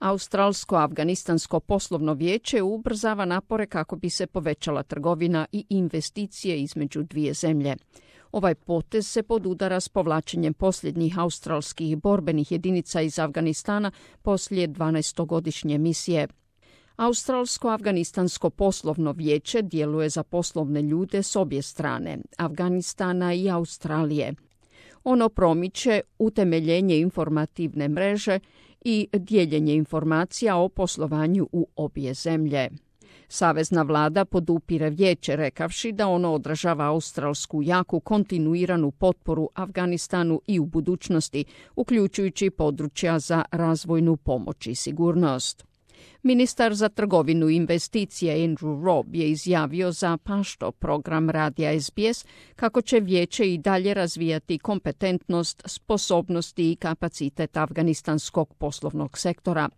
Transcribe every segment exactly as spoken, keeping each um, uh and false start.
Australsko-afganistansko poslovno vijeće ubrzava napore kako bi se povećala trgovina i investicije između dvije zemlje. Ovaj potez se podudara s povlačenjem posljednjih australskih borbenih jedinica iz Afganistana poslije dvanaestogodišnje misije. Australsko-afganistansko poslovno vijeće djeluje za poslovne ljude s obje strane, Afganistana i Australije. Ono promiče utemeljenje informativne mreže i dijeljenje informacija o poslovanju u obje zemlje. Savezna vlada podupire vijeće rekavši da ono odražava australsku jaku kontinuiranu potporu Afganistanu i u budućnosti, uključujući područja za razvojnu pomoć i sigurnost. Ministar za trgovinu i investicije Andrew Robb je izjavio za Pašto, program radija S B S, kako će vijeće i dalje razvijati kompetentnost, sposobnosti i kapacitet afganistanskog poslovnog sektora.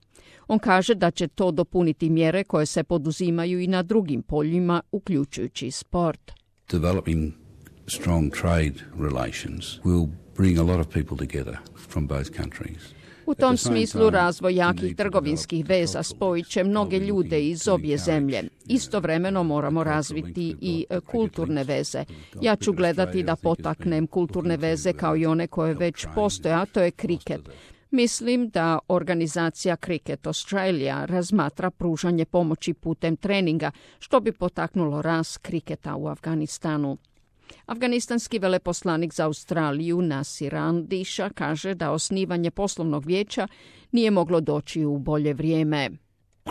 On kaže da će to dopuniti mjere koje se poduzimaju i na drugim poljima, uključujući sport. Developing strong trade relations will bring a lot of people together from both countries. U tom smislu razvoj jakih trgovinskih veza spojit će mnoge ljude iz obje zemlje. Istovremeno moramo razviti i kulturne veze. Ja ću gledati da potaknem kulturne veze kao i one koje već postoje, a to je kriket. Mislim da organizacija Cricket Australia razmatra pružanje pomoći putem treninga, što bi potaknulo rast kriketa u Afganistanu. Afganistanski veleposlanik za Australiju Nasir Andiša kaže da osnivanje poslovnog vijeća nije moglo doći u bolje vrijeme.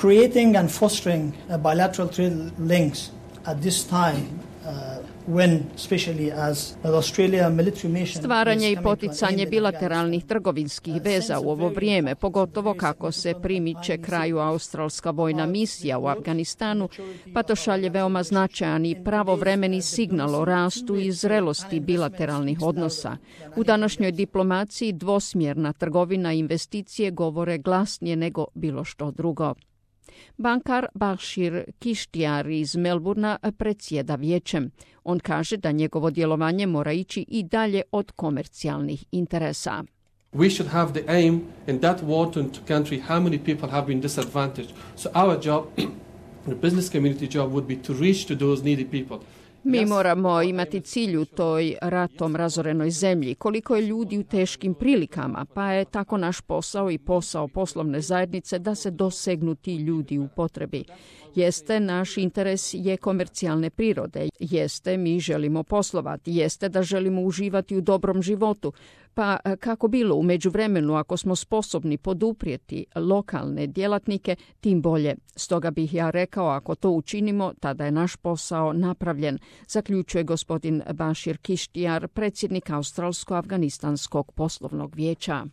Creating and fostering bilateral trade links at this time uh, when especially as the Australia military mission. Stvaranje i poticanje bilateralnih trgovinskih veza u ovo vrijeme, pogotovo kako se primiče kraju australska vojna misija u Afganistanu, pa to šalje veoma značajan i pravovremeni signal o rastu i zrelosti bilateralnih odnosa. U današnjoj diplomaciji dvosmjerna trgovina i investicije govore glasnije nego bilo što drugo. Bankar Bashir Kishtiar iz Melburna predsjeda vijećem. On kaže da njegovo djelovanje mora ići i dalje od komercijalnih interesa. We should have the aim in that war-torn country how many people have been disadvantaged. So our job, the business community job would be to reach to those needy people. Mi moramo imati cilj u toj ratom razorenoj zemlji, koliko je ljudi u teškim prilikama, pa je tako naš posao i posao poslovne zajednice da se dosegnu ti ljudi u potrebi. Jeste, naš interes je komercijalne prirode, jeste, mi želimo poslovati, jeste da želimo uživati u dobrom životu, pa kako bilo u međuvremenu ako smo sposobni poduprijeti lokalne djelatnike, tim bolje. Stoga bih ja rekao, ako to učinimo, tada je naš posao napravljen, zaključuje gospodin Bashir Kishtiar, predsjednik Australsko-afganistanskog poslovnog vijeća.